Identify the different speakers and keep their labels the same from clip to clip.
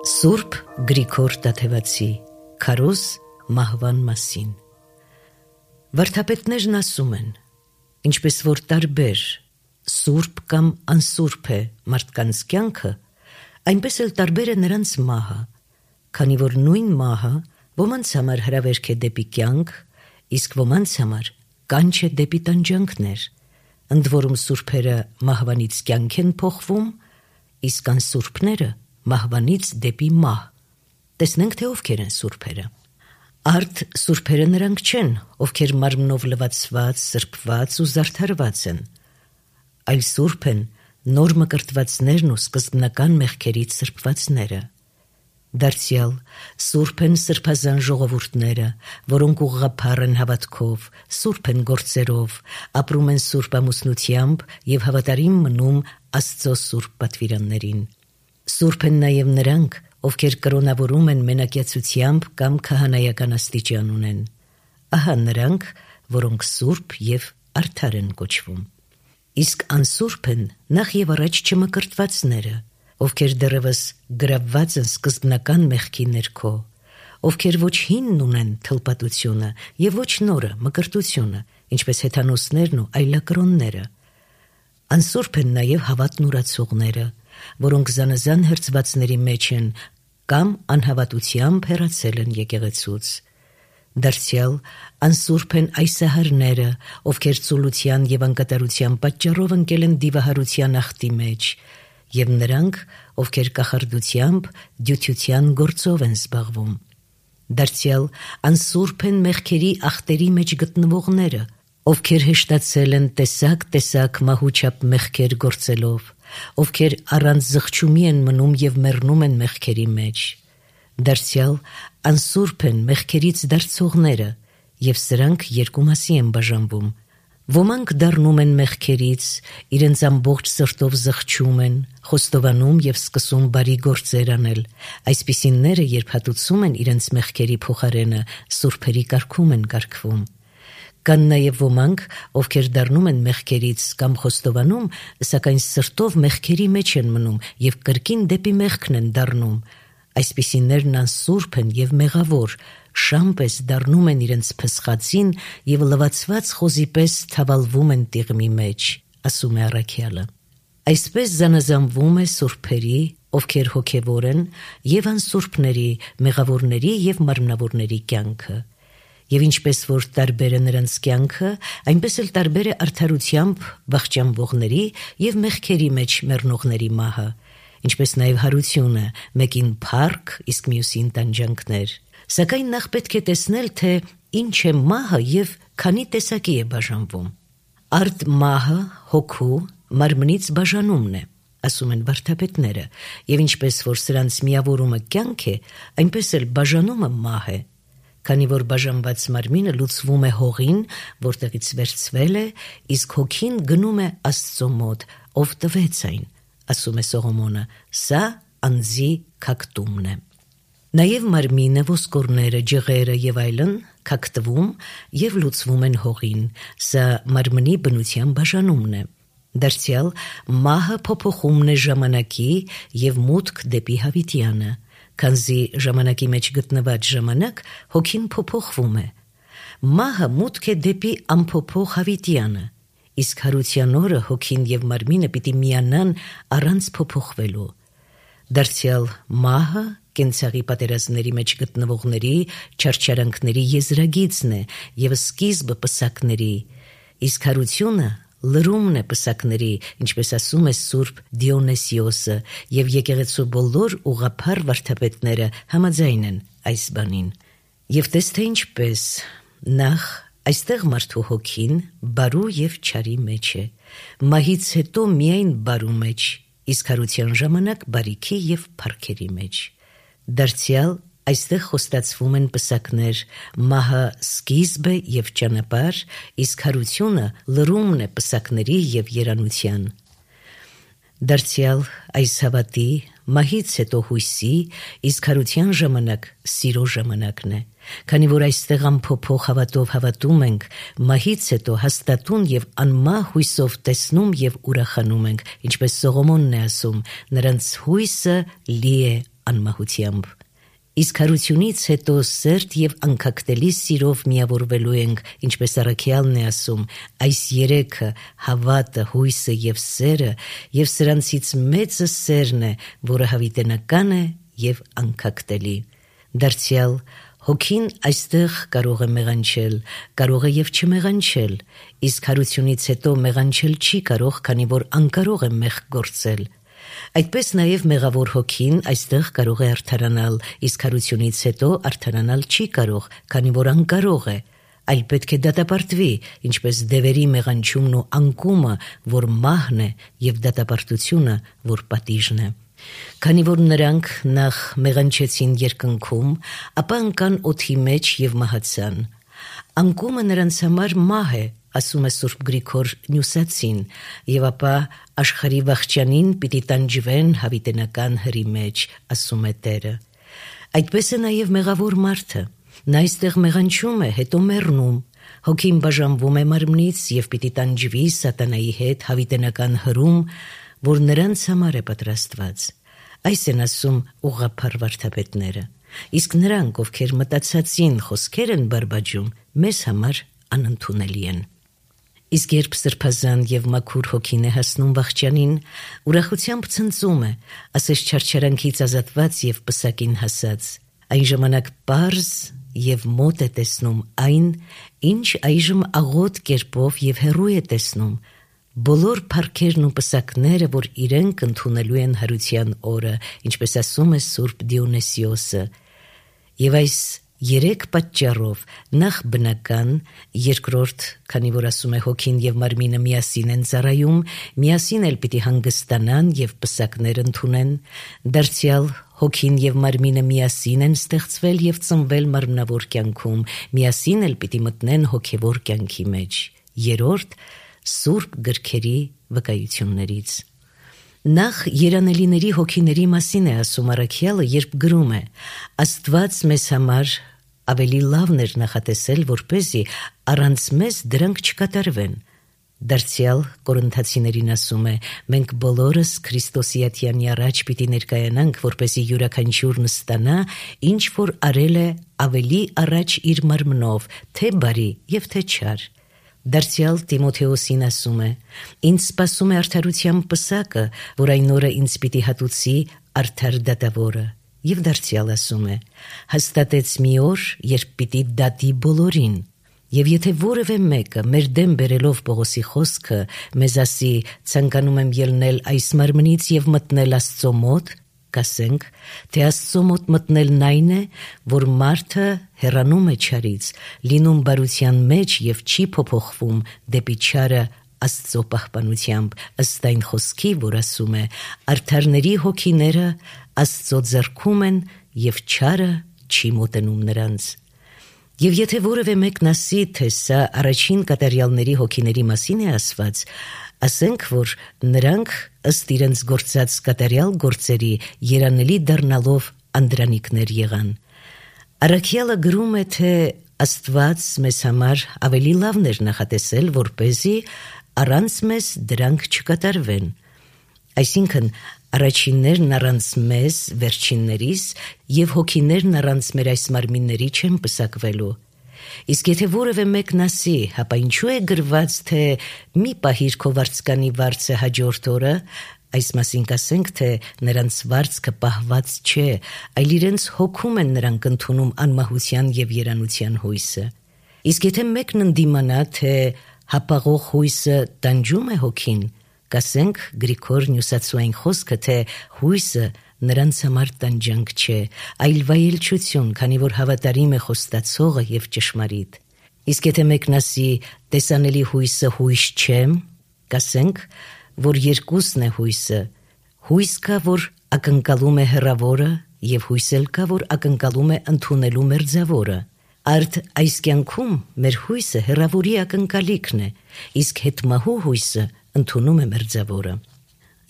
Speaker 1: Սուրբ Գրիգոր Տաթևացի Քարոզ մահվան մասին Վարդապետներն ասում են, ինչպես որ տարբեր սուրբ կամ անսուրբ է մարդկանց կյանքը, այնպես էլ տարբեր է նրանց մահը, քանի որ նույն մահը ոմանց համար հրավերք է դեպի կյանք, իսկ ոմանց համար կանչ է դեպի տանջանքներ, ընդ որում սուրբերը մահվանից կյանք են փոխվում, իսկ անսուրբները մահվանից դեպի մահ։ Տեսնենք, թե ովքեր են սուրբերը։ Արդ սուրբերը նրանք չեն, ովքեր մարմնով լվացված, սրբված ու զարդարված են, այլ սուրբ են նոր մկրտվածներն ու սկզբնական մեղքերից սրբվածները։ Դարձյալ սուրբ են սրբազան ժողովուրդները, որոնք ուղղափառ են հավատքով, սուրբ են գործերով, ապրում են սուրբ ամուսնությամբ և հավատարիմ մնում Աստծո սուրբ պատվիրաններին։ Սուրբ են նաև նրանք, ովքեր կրոնավորում են մենակյացությամբ կամ քահանայական աստիճան ունեն։ Ահա նրանք, որոնք սուրբ և արդար են կոչվում։ Իսկ անսուրբ են նախ և առաջ չմկրտվածները, ովքեր դեռևս գրավված են սկզբնական մեղքի ներքո, ովքեր ոչ հինն ունեն թլպատությունը և ոչ նորը մկրտությունը, ինչպես հեթանոսներն ու այլակրոնները։ Անսուրբ են նաև հավատն ուրացողները, որոնք զանազան հրձվածների մեջ են կամ անհավատությամբ հեռացել են եկեղեցուց։ Դարձյալ անսուրբ են այսահարները, ովքեր ծուլության և անկատարության պատճառով ընկել են դիվահարության ախտի մեջ, և նրանք, ովքեր կախարդությամբ, դյութության գործով են զբաղվում։ Դարձյալ անսուրբ են մեղքերի ախտերի մեջ գտնվողները, ովքեր հեշտացել են տեսակ մահուչապ մեղքեր գործելով, ովքեր առանց զղջումի են մնում և մեռնում են մեղքերի մեջ։ Դարձյալ անսուրբ են մեղքերից դարձողները, և սրանք երկու մասի են բաժանվում։ Ոմանք դառնում են մեղքերից, իրենց ամբողջ սրտով զղջում են, խոստովանում և սկսում բարի գործեր անել, այսպիսինները, երբ հատուցում են իրենց մեղքերի փոխարենը, սուրբերի կարգում են կարգվում։ Կան նաև ոմանք, ովքեր դառնում են մեղքերից կամ խոստովանում, սակայն սրտով մեղքերի մեջ են մնում և կրկին դեպի մեղքն են դառնում։ Այսպիսիներն անսուրբ են և մեղավոր, շամ պես դառնում են իրենց փսխածին և լվացված խոզի պես թավալվում են տիղմի մեջ, ասում է առաքյալը։ Այսպես զանազանվում է սուրբերի, ովքեր հոգևոր են, և անսուրբների, մեղավորների և մարմնավորների կյանքը։ Եվ ինչպես որ տարբեր է նրանց կյանքը, այնպես էլ տարբեր է արդարությամբ վախճանվողների և մեղքերի մեջ մեռնողների մահը, ինչպես նաև հարությունը, մեկին փառք, իսկ մյուսին տանջանքներ։ Սակայն նախ պետք է տեսնել, թե ինչ է մահը և քանի տեսակի է բաժանվում։ Արդ մահը հոգու, մարմնից բաժանումն է, ասում են վարդապետները, և ինչպես որ սրանց միավորումը կյանք է, այնպես էլ բաժանումը մահ է, քանի որ բաժանված մարմինը լուծվում է հողին, որտեղից վերցվել է, իսկ հոգին գնում է Աստծո մոտ, ով տվեց այն, ասում է Սողոմոնը, սա անձի քակտումն է։ Նաև մարմինը, ոսկորները, ջղերը և այլն քակտվում և լուծվում են հողին, սա մարմնի բնության բաժանումն է։ Դարձյալ մահը փոփոխումն է ժամանակի և մուտք դեպի հավիտյանը, քանզի ժամանակի մեջ գտնված ժամանակ հոգին փոփոխվում է։ Մահը մուտք է դեպի անփոփոխ հավիտյանը, իսկ հարության օրը հոգին և մարմինը պիտի միանան առանց փոփոխվելու։ Դարձյալ մահը կենցաղի պատերազմների մեջ գտնվողների չարչարանքների եզրագիծն է և սկիզբը պսակների, իսկ հարությունը լրումն է պսակների, ինչպես ասում է Սուրբ Դիոնեսիոսը, և եկեղեցու բոլոր ուղղափառ վարդապետները համաձայն են այս բանին։ Եվ տես թե ինչպես, նախ այստեղ մարդու հոգին բարու և չարի մեջ է, մահից հետո միայն բարու մեջ, իսկ հարության ժամանակ բարիքի և փառքերի մեջ։ Դարձյալ այստեղ խոստացվում են պսակներ, մահը սկիզբ է և ճանապարհ, իսկ հարությունը լրումն է պսակների և երանության։ Դարձյալ այս հավատի, մահից հետո հույսի, իսկ հարության ժամանակ սիրո ժամանակն է, քանի որ այստեղ անփոփոխ հավատով հավատում ենք, մահից հետո հաստատուն և անմահ հույսով տեսնում և ուրախանում ենք, ինչպես Սողոմոնն է ասում, նրանց հույսը լի է անմահությամբ։ Իսկ հարությունից հետո սերտ եւ անկակտելի սիրով միավորվելու ենք, ինչպես առաքյալն է ասում, այս երեքը՝ հավատը, հույսը եւ սերը, եւ սրանցից մեծը սերն է, որը հավիտենական է եւ անկակտելի։ Դարձյալ հոգին այստեղ կարող է մեղանչել, կարող է եւ չմեղանչել, իսկ հարությունից հետո մեղանչել չի կարող, քանի որ անկարող է մեղք գործել։ Այդպես նաև մեղավոր հոգին այստեղ կարող է արդարանալ, իսկ հարությունից հետո արդարանալ չի կարող, քանի որ անկարող է, այլ պետք է դատապարտվի, ինչպես դևերի մեղանչումն ու անկումը, որ մահն է, եւ դատապարտությունը, որ պատիժն է։ Քանի որ նրանք նախ մեղանչեցին երկնքում, ապա ընկան օդի մեջ եւ մահացան։ Անկումը նրանց համար մահ է, ասում է Սուրբ Գրիգոր Նյուսացին, եւ ապա աշխարհի վախճանին պիտի տանջվեն հավիտենական հրի մեջ, ասում է Տերը։ Այդպես է նաև մեղավոր մարդը։ Նա այստեղ մեղանչում է, հետո մեռնում։ Հոգին բաժանվում է մարմնից եւ պիտի տանջվի սատանայի հետ հավիտենական հրում, որ նրանց համար է պատրաստված։ Այս են ասում ուղղափառ վարդապետները։ Իսկ նրանք, ովքեր մտածածին խոսքեր են բարբաջում, մեզ համար անընդունելի են։ Իսկ երբ սրբազան եւ մաքուր հոգին է հասնում վախճանին, ուրախությամբ ցնծում է, ասես չարչարանքից ազատված եւ պսակին հասած։ Այն ժամանակ պարզ եւ մոտ է տեսնում այն, ինչ այժմ աղոտ կերպով եւ հեռու է տեսնում, բոլոր փառքերն ու պսակները, որ իրենք ընդունելու են հարության օրը, ինչպես ասում է Սուրբ Դիոնիսիոսը։ Եվ այս երեք պատճառով նախ բնական, երկրորդ, քանի որ ասում է հոգին եւ մարմինը միասին են ծառայում, միասին էլ պիտի հանգստանան եւ պսակներ ընդունեն, դարձյալ հոգին եւ մարմինը միասին են ստեղծվել եւ ծնվել մարմնավոր կյանքում, միասին էլ պիտի մտնեն հոգեվոր կյանքի մեջ։ Երրորդ, Սուրբ գրքերի վկայություններից։ Նախ երանելիների հոգիների մասին է ասում առաքյալը, երբ գրում է. Աստված մեզ համար ավելի լավն էր նախատեսել, որպեսզի առանց մեզ դրանք չկատարվեն։ Դարձյալ Կորինթացիներին ասում է. մենք բոլորս Քրիստոսի ատյանի առաջ պիտի ներկայանանք, որպեսզի յուրաքանչյուրն ստանա, ինչ որ արել է ավելի առաջ իր մարմնով, թե բարի եւ թե չար։ Դարձյալ Տիմոթեոսին ասում է. ինձ սպասում է արդարության պսակը, որ այն օրը ինձ պիտի հատուցի արդար դատավորը։ Եվ դարձյալ ասում է. հաստատեց մի օր, երբ պիտի դատի բոլորին։ Եվ եթե որևէ մեկը մեր դեմ բերելով Պողոսի խոսքը մեզ ասի ցանկանում եմ ելնել այս մարմնից եւ մտնել Աստծո մոտ, կասենք, թե Աստծո մոտ մտնելն այն է, որ մարդը հեռանում է չարից, լինում բարության մեջ եւ չի փոփոխվում դեպի չարը Աստծո պահպանությամբ, ըստ այն խոսքի, որ ասում է. արդարների հոգիները Աստծո ձեռքում են եւ չարը չի մոտենում նրանց։ Եվ եթե որևէ մեկն ասի, թե սա առաջին կատարյալների հոգիների մասին է ասված, ասենք, որ նրանք ըստ իրենց գործած կատարյալ գործերի երանելի դառնալով անդրանիկներ եղան։ Առաքյալը գրում է, թե Աստված մեզ համար ավելի լավն էր նախատեսել, որպեսզի առանց մեզ դրանք չկատարվեն։ Այսինքն, առաջիններն առանց մեզ, վերջիններիս, եւ հոգիներն առանց մեր այս մարմինների չեն պսակվելու։ Իսկ եթե որևէ մեկն ասի, հապա ինչու է գրված, թե մի պահիր քո վարձկանի վարձը հաջորդ օրը, այս մասին կասենք, թե նրանց վարձքը պահված չէ, այլ իրենց հոգում են նրանք ընդունում անմահության եւ երանության հույսը։ Իսկ եթե մեկն ընդդիմանա, թե հապաղող հույսը տանջում է հոգին, կասենք Գրիգոր Նյուսացուային խոսքը, թե հույսը նրանց համար տանջանք չէ, այլ վայելչություն, քանի որ հավատարիմ է խոստացողը եւ ճշմարիտ։ Իսկ եթե մեկն ասի տեսանելի հույսը հույս չէ, կասենք, որ երկուսն է հույսը։ Հույս կա, որ ակնկալում է հեռավորը, եւ հույս էլ կա, որ ակնկալում է ընդունելու մերձավորը։ Արդ այս կյանքում մեր հույսը հեռավորի ակնկալիքն է, իսկ հետմահու հույսը ընդունում է մերձավորը։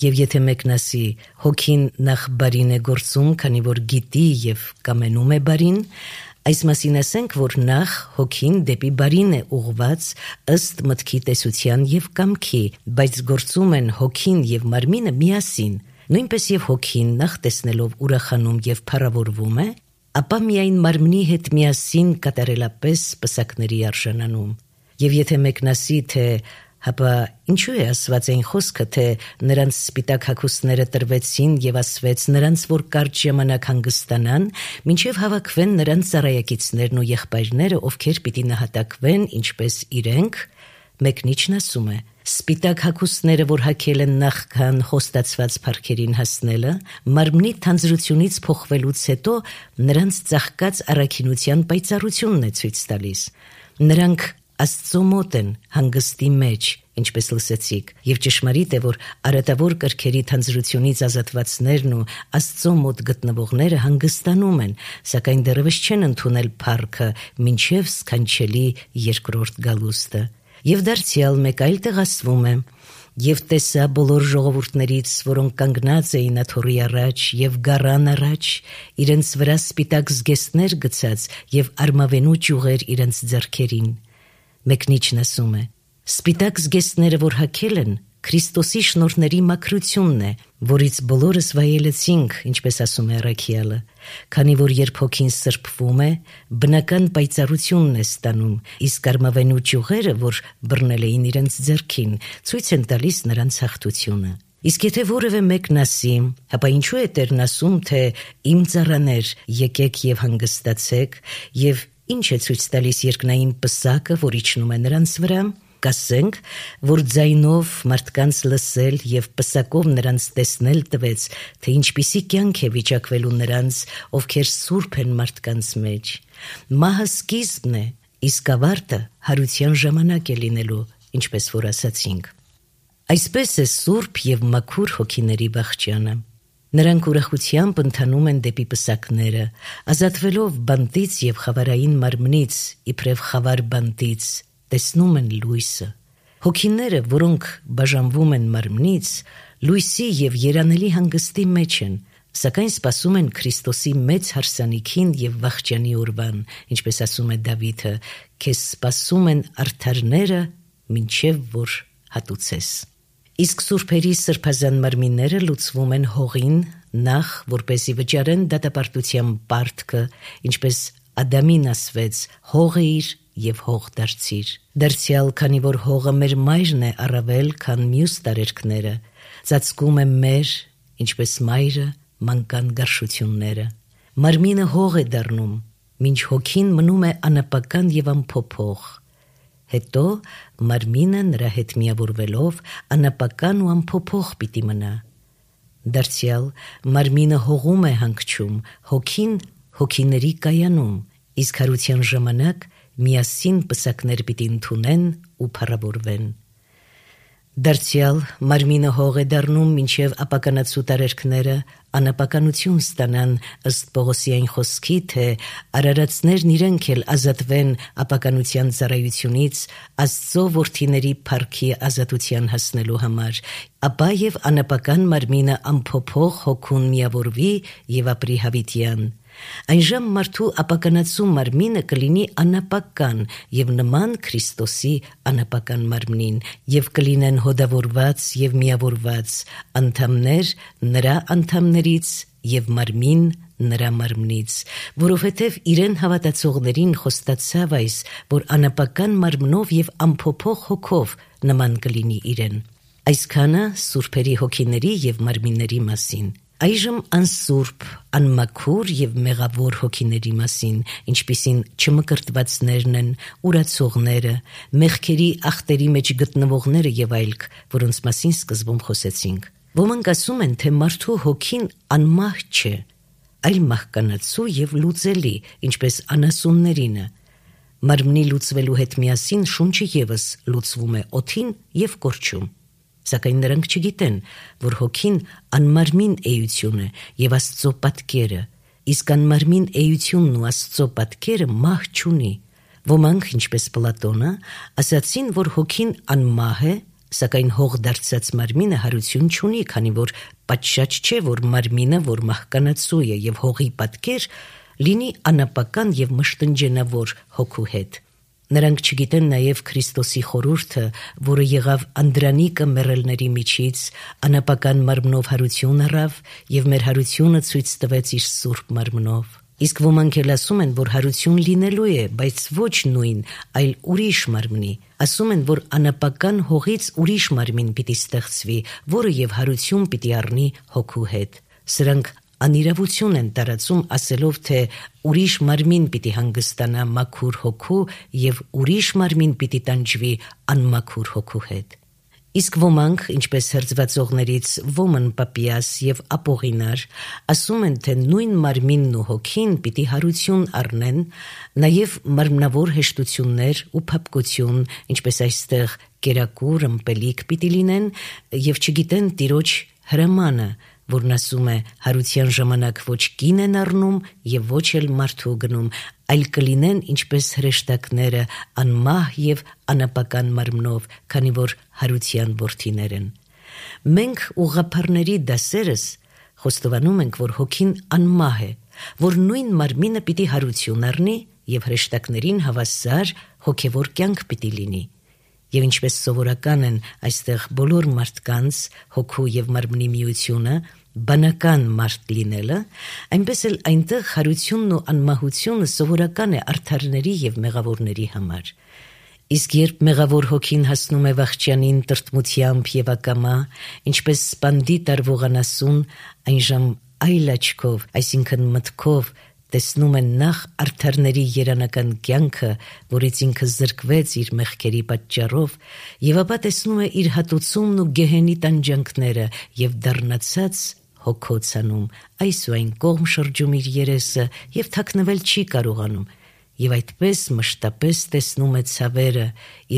Speaker 1: Եվ եթե մեկն ասի հոգին նախ բարին է գործում, քանի որ գիտի եւ կամենում է բարին, այս մասին ասենք, որ նախ հոգին դեպի բարին է ուղված ըստ մտքի տեսության եւ կամքի, բայց գործում են հոգին եւ մարմինը միասին, Նույնպես եւ հոգին նախ տեսնելով ուրախանում եւ փառավորվում է, ապա միայն մարմնի հետ միասին կատարելապես պսակների արժանանում։ Եվ եթե մեկն ասի, թե հապա ինչու է ասված այն խոսքը, թե նրանց սպիտակ հագուստները տրվեցին եւ ասվեց նրանց, որ կարճ ժամանակ հանգստանան, մինչեւ հավաքվեն նրանց ծառայակիցներն ու եղբայրները, ովքեր պիտի նահատակվեն, ինչպես իրենք, մեկնիչն ասում է. սպիտակ հագուստները, որ հագել են նախքան խոստացված փառքերին հասնելը, մարմնի թանձրությունից փոխվելուց հետո նրանց ծաղկած առաքինության պայծառությունն է ցույց տալիս։ Նրանք Աստծո մոտ են հանգստի մեջ, ինչպես լսեցիք, եւ ճշմարիտ է, որ արատավոր կրքերի թանձրությունից ազատվածներն ու Աստծո մոտ գտնվողները հանգստանում են, սակայն դեռևս չեն ընդունել փառքը մինչև սքանչելի երկրորդ գալուստը։ Եվ դարձյալ մեկ այլ տեղ ասվում է. «Եվ տեսա բոլոր ժողովուրդներից, որոնք կանգնած էին աթոռի առաջ եւ գառան առաջ, իրենց վրա սպիտակ զգեստներ գցած եւ արմավենու ճյուղեր իրենց ձեռքերին»։ Մեկնիչն ասում է. սպիտակ զգեստները, որ հագել են, Քրիստոսի շնորհների մաքրությունն է, որից բոլորս վայելեցինք, ինչպես ասում է առաքյալը, քանի որ երբ հոգին սրբվում է, բնական պայծառությունն է ստանում, իսկ արմավենու ճյուղերը, որ բռնել էին իրենց ձեռքին, ցույց են տալիս նրանց հաղթությունը։ Իսկ եթե որևէ մեկն ասի, հապա ինչու է Տերն ասում, թե իմ ծառաներ, եկեք եւ հանգստացեք, եւ ինչ է ցույց տալիս երկնային պսակը, որ իջնում է նրանց վրա։ Կասենք, որ ձայնով մարդկանց լսել եւ պսակով նրանց տեսնել տվեց, թե ինչպիսի կյանք է վիճակվելու նրանց, ովքեր սուրբ են մարդկանց մեջ։ Մահը սկիզբն է, իսկ ավարտը հարության ժամանակ է լինելու, ինչպես որ ասացինք։ Այսպես է սուրբ եւ մաքուր հոգիների վախճանը։ Նրանք ուրախությամբ ընթանում են դեպի պսակները, ազատվելով բանտից եւ խավարային մարմնից, իբրև խավար բանտից, տեսնում են լույսը։ Հոգիները, որոնք բաժանվում են մարմնից, լույսի եւ երանելի հանգստի մեջ են, սակայն սպասում են Քրիստոսի մեծ հարսանիքին եւ վախճանի օրվան, ինչպես ասում է Դավիթը. «Քեզ սպասում են արդարները, մինչև որ հատուցես»։ Իսկ սուրբերի սրբազան մարմինները լուծվում են հողին, նախ որպեսզի վճարեն դատապարտության պարտքը, ինչպես Ադամին ասվեց. «Հողը իր եւ հող դարձիր»։ Դարձյալ, քանի որ հողը մեր մայրն է առավել, քան մյուս տարերքները, ծածկում է մեր, ինչպես մայրը մանկան գարշությունները։ Մարմինը հող է դառնում, մինչ հոգին մնում է անապական եւ անփոփոխ։ Հետո մարմինը նրա հետ միավորվելով անապական ու անփոփոխ պիտի մնա։ Դարձյալ, մարմինը հողում է հանգչում, հոգին հոգիների կայանում, իսկ հարության ժամանակ միասին պսակներ պիտի ընդունեն ու փառավորվեն։ Դարձյալ, մարմինը հող է դառնում, մինչև ապականացու տարերքները անապականություն ստանան, ըստ Պողոսի այն խոսքի, թե արարածներն իրենք էլ ազատվեն ապականության ծառայությունից Աստծո որդիների փառքի ազատության հասնելու համար, ապա եւ անապական մարմինը անփոփոխ հոգուն միավորվի եւ ապրի հավիտյան։ Այնժամ մարդու ապականացու մարմինը կլինի անապական եւ նման Քրիստոսի անապական մարմնին, եւ կլինեն հոդավորված եւ միավորված անդամներ նրա անդամներից եւ մարմին նրա մարմնից, որովհետեւ իրեն հավատացողներին խոստացավ այս, որ անապական մարմնով եւ անփոփոխ հոգով նման կլինի իրեն։ Այսքանը սուրբերի հոգիների եւ մարմինների մասին։ Այժմ անսուրբ, անմաքուր եւ մեղավոր հոգիների մասին, ինչպիսին չմկրտվածներն են, ուրացողները, մեղքերի ախտերի մեջ գտնվողները եւ այլք, որոնց մասին սկզբում խոսեցինք։ Ոմանք ասում են, թե մարդու հոգին անմահ չէ, այլ մահկանացու եւ լուծելի, ինչպես անասուններինը։ Մարմնի լուծվելու հետ միասին շունչը եւս լուծվում է օդին եւ կորչում։ Սակայն նրանք չգիտեն, որ հոգին անմարմին էություն է եւ Աստծո պատկերը, իսկ անմարմին էությունն ու Աստծո պատկերը մահ չունի։ Ոմանք, ինչպես Պլատոնը, ասացին, որ հոգին անմահ է, սակայն հող դարձած մարմինը հարություն չունի, քանի որ պատշաճ չէ, որ մարմինը, որ մահկանացու է եւ հողի պատկեր, լինի անապական եւ մշտնջենավոր հոգու հետ։ Նրանք չգիտեն նաև Քրիստոսի խորհուրդը, որը եղավ անդրանիկը մեռելների միջից, անապական մարմնով հարություն առավ եւ մեր հարությունը ցույց տվեց իր սուրբ մարմնով։ Իսկ ոմանք էլ ասում են, որ հարություն լինելու է, բայց ոչ նույն, այլ ուրիշ մարմնի։ Ասում են, որ անապական հողից ուրիշ մարմին պիտի ստեղծվի, որը եւ հարություն պիտի առնի հոգու հետ։ Սրանք անիրավություն են տարածում ասելով, թե ուրիշ մարմին պիտի հանգստանա մաքուր հոգու եւ ուրիշ մարմին պիտի տանջվի անմաքուր հոգու հետ։ Իսկ ոմանք, ինչպես հրձվածողներից Ոմն Պապիաս եւ Ապողինար, ասում են, թե նույն մարմինն ու հոգին պիտի հարություն առնեն, նաեւ մարմնավոր հեշտություններ ու փափկություն, ինչպես այստեղ կերակուր, ըմպելիք պիտի լինեն եւ չգիտեն Տիրոջ հրամանը, որն ասում է հարության ժամանակ ոչ կին են առնում եւ ոչ էլ մարդու գնում, այլ կլինեն ինչպես հրեշտակները անմահ եւ անապական մարմնով, քանի որ հարության որդիներ են։ Մենք ուղղափառների դասերս խոստովանում ենք, որ հոգին անմահ է, որ նույն մարմինը պիտի հարություն առնի եւ հրեշտակներին հավասար հոգեվոր կյանք պիտի լինի։ Եվ ինչպես սովորական են այստեղ բոլոր մարդկանց հոգու եւ մարմնի միությունը, բանական մարդ լինելը, այնպես էլ այնտեղ հարությունն ու անմահությունը սովորական է արդարների եւ մեղավորների համար։ Իսկ երբ մեղավոր հոգին հասնում է վախճանին տրտմությամբ եւ ակամա, ինչպես սպանդի տարվողանասուն, այնժամ այլ աչքով, այսինքն մտքով, տեսնում են նախ արդարների երանական կյանքը, որից ինքը զրկվեց իր մեղքերի պատճառով, եւ ապա տեսնում է իր հատուցումն ու գեհենի տանջանքները եւ դառնացած հոգոցանում, այս ու այն կողմ շրջում իր երեսը եւ թաքնվել չի կարողանում, եւ այդպես մշտապես տեսնում է ցավերը,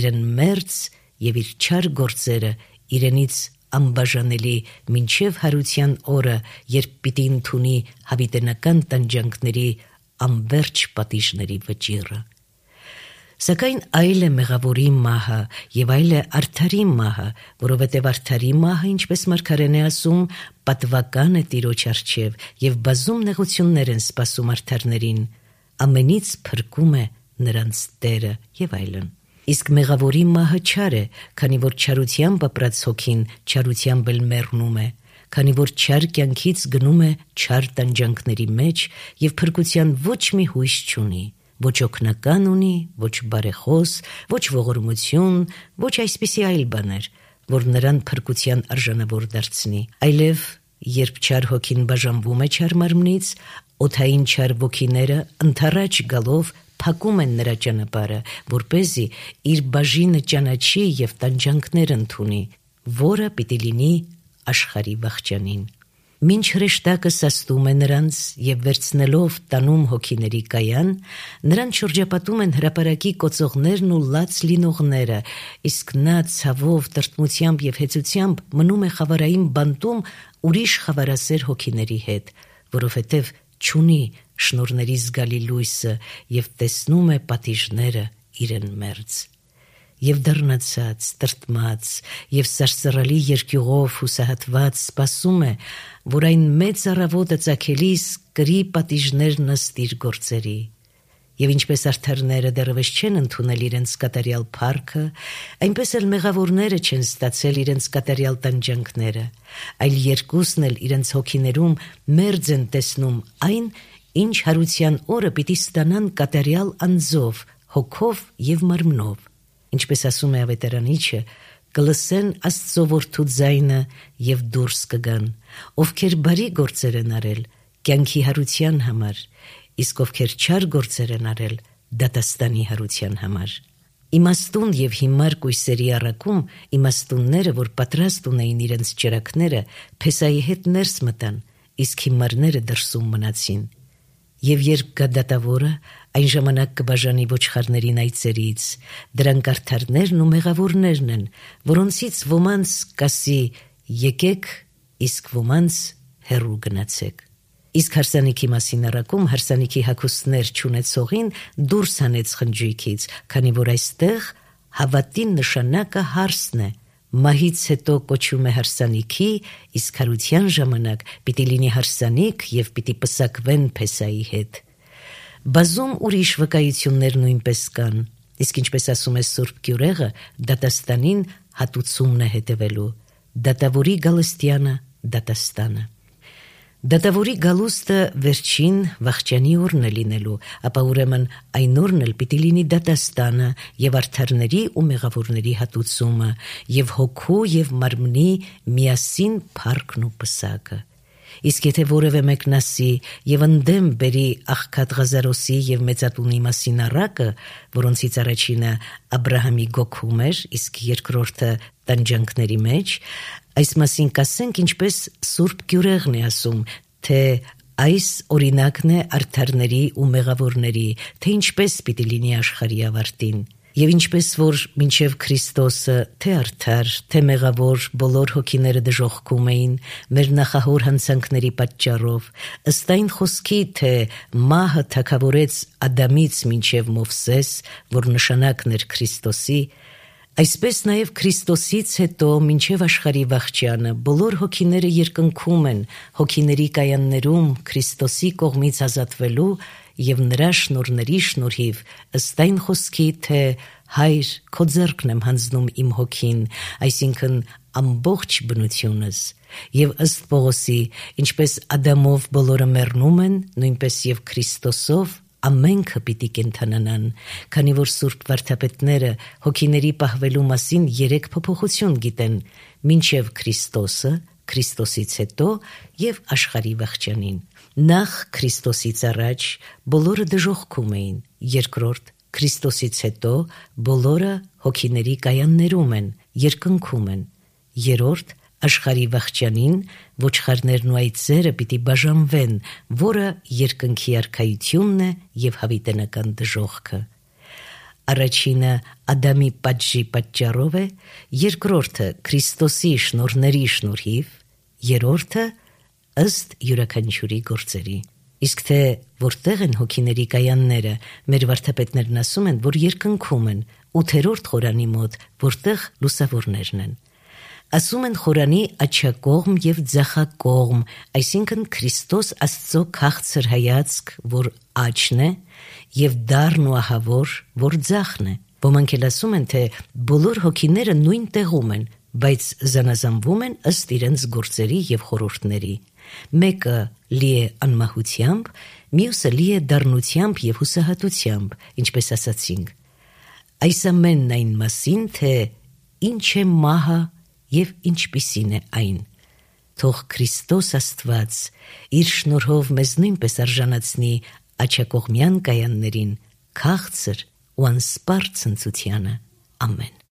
Speaker 1: իրեն մերձ եւ իր չար գործերը իրենից անբաժանելի մինչև հարության օրը, երբ պիտի ընդունի հավիտենական տանջանքների անվերջ պատիժների վճիռը։ Սակայն այլ է մեղավորի մահը եւ այլ է արդարի մահը, որովհետեւ արդարի մահը, ինչպես մարգարեն է ասում, պատվական է Տիրոջ առջև եւ բազում նեղություններ են սպասում արդարներին, ամենից փրկում է նրանց Տերը եւ այլն։ Իսկ մեղավորի մահը չար է, քանի որ չարությամբ ապրած հոգին չարությամբ էլ մեռնում է, քանի որ չար կյանքից գնում է չար տանջանքների մեջ եւ փրկության ոչ մի հույս չունի, ոչ օգնական ունի, ոչ բարեխոս, ոչ ողորմություն, ոչ այսպիսի այլ բաներ, որ նրան փրկության արժանավոր դարձնի, այլև երբ չար հոգին բաժանվում է չար մարմնից, օդային չար ոգիները ընթառաջ գալով փակում են նրա ճանապարհը, որպեսզի իր բաժինը ճանաչի եւ տանջանքներ ընդունի, որը պիտի լինի աշխարհի վախճանին։ Մինչ հրեշտակը սաստում է նրանց եւ վերցնելով տանում հոգիների կայան, նրանց շրջապատում են հրապարակի կոծողներն ու լաց լինողները, իսկ նա ցավով, տրտմությամբ եւ հեծությամբ մնում է խավարային բանտում ուրիշ խավարասեր հոգիների հետ, որովհետեւ չունի շնորհների զգալի լույսը եւ տեսնում է պատիժները իրեն մերձ։ Եվ դառնացած, տրտմած եւ սարսռալի երկյուղով հուսահատված սպասում է, որ այն մեծ առավոտը ծագելիս կրի պատիժներն ըստ իր գործերի։ Եվ ինչպես արդարները դեռևս չեն ընդունել իրենց կատարյալ փառքը, այնպես էլ մեղավորները չեն ստացել իրենց կատարյալ տանջանքները, այլ երկուսն էլ իրենց հոգիներում մերձ են տեսնում այն, ինչ հարության օրը պիտի ստանան կատարյալ անձով, հոգով եւ մարմնով։ Ինչպես ասում է ավետարանիչը, կլսեն Աստծո որդու ձայնը եւ դուրս կգան, ովքեր բարի գործեր են արել կյանքի հարության համար, իսկ ովքեր չար գործեր են արել դատաստանի հարության համար։ Իմաստուն եւ հիմար կույսերի առաքում իմաստունները, որ պատրաստ ունեին իրենց ճրակները, Փեսայի հետ ներս մտան, իսկ հիմարները դրսում մնացին։ Եվ երբ գա դատավորը, այն ժամանակ կբաժանի ոչխարներին այծերից, դրանք արդարներն ու մեղավորներն են, որոնցից ոմանց կասի եկեք, իսկ ոմանց հեռու գնացեք։ Իսկ հարսանիքի մասին առաքում հարսանիքի հագուստներ չունեցողին դուրս հանեց խնջույքից, քանի որ այստեղ հավատի նշանակը հարսն է, մահից հետո կոչվում է հարսանիքի, իսկ հարության ժամանակ պիտի լինի հարսանիք եւ պիտի պսակվեն Փեսայի հետ։ Բազում ուրիշ վկայություններ նույնպես կան, Իսկ ինչպես ասում է Սուրբ Գյուրեղը, դատաստանին հատուցումն է հետևելու, դատավորի գալստյանը դատաստանը։ Դատավորի գալուստը վերջին վախճանի օրն է լինելու, ապա ուրեմն այն օրն էլ պիտի լինի դատաստանը եւ արդարների ու մեղավորների հատուցումը եւ հոգու եւ մարմնի միասին փառքն ու պսակը։ Իսկ եթե որևէ մեկն ասի եւ ընդդեմ բերի աղքատ Ղազարոսի եւ Մեծատունի մասին առակը, որոնցից առաջինը Աբրահամի գոքում էր, իսկ երկրորդը տանջանքների մեջ, այս մասին կասենք, ինչպես Սուրբ Գյուրեղն է ասում, թե այս օրինակն է արդարների ու մեղավորների, թե ինչպես պիտի լինի աշխարհի ավարտին։ Եվ ինչպես որ մինչև Քրիստոսը թե արդար, թե մեղավոր բոլոր հոգիները դժոխքում էին մեր նախահոր հանցանքների պատճառով, ըստ այն խոսքի, թե մահը թագավորեց Ադամից մինչև Մովսես, որ նշանակն էր Քրիստոսի, այսպես նաև Քրիստոսից հետո մինչև աշխարհի վախճանը բոլոր հոգիները երկնքում են հոգիների կայաններում Քրիստոսի կողմից ազատվելու եւ նրա շնորհների շնորհիվ ըստ այն խոսքի, թե Հայր, քո ձեռքն եմ հանձնում իմ հոգին, այսինքն ամբողջ բնությունս, եւ ըստ Պողոսի, ինչպես Ադամով բոլորը մեռնում են, նույնպես եւ Քրիստոսով ամենքը պիտի կենթանանան, քանի որ Սուրբ վարդապետները հոգիների պահվելու մասին 3 փոփոխություն գիտեն, մինչև Քրիստոսը, Քրիստոսից հետո եւ աշխարհի վախճանին։ Նախ Քրիստոսից առաջ բոլորը դժոխքում էին, երկրորդ Քրիստոսից հետո բոլորը հոգիների կայաններում են, երկնքում են, երրորդ աշխարհի վախճանին ոչխարներն ու այծերը պիտի բաժանվեն, որը երկնքի արքայությունն է եւ հավիտենական դժոխքը։ Առաջինը Ադամի պատժի պատճառով է, երկրորդը Քրիստոսի շնորհների շնորհիվ, երրորդը ըստ յուրաքանչյուրի գործերի։ Իսկ թե որտեղ են հոգիների կայանները, մեր վարդապետներն ասում են, որ երկնքում են, 8-րդ խորանի մոտ, որտեղ լուսավորներն են։ Ասում են խորանի աջակողմ եւ ձախակողմ, այսինքն Քրիստոս Աստծո քաղցր հայացք, որ աչն է, եւ դառն ու ահավոր, որ ձախն է։ Ոմանք էլ ասում են, թե բոլոր հոգիները նույն տեղում են, բայց զանազանվում են ըստ իրենց գործերի եւ խորհուրդների։ Մեկը լի է անմահությամբ, մյուսը լի է դառնությամբ եւ հուսահատությամբ, ինչպես ասացինք։ Այս ամենն այն մասին, թե ինչ է մահը եւ ինչպիսին է այն։ Թող Քրիստոս Աստված իր շնորհով մեզ նույնպես արժանացնի աջակողմյան կայաններին, քաղցր ու անսպառ ցնծությանը։ Ամեն։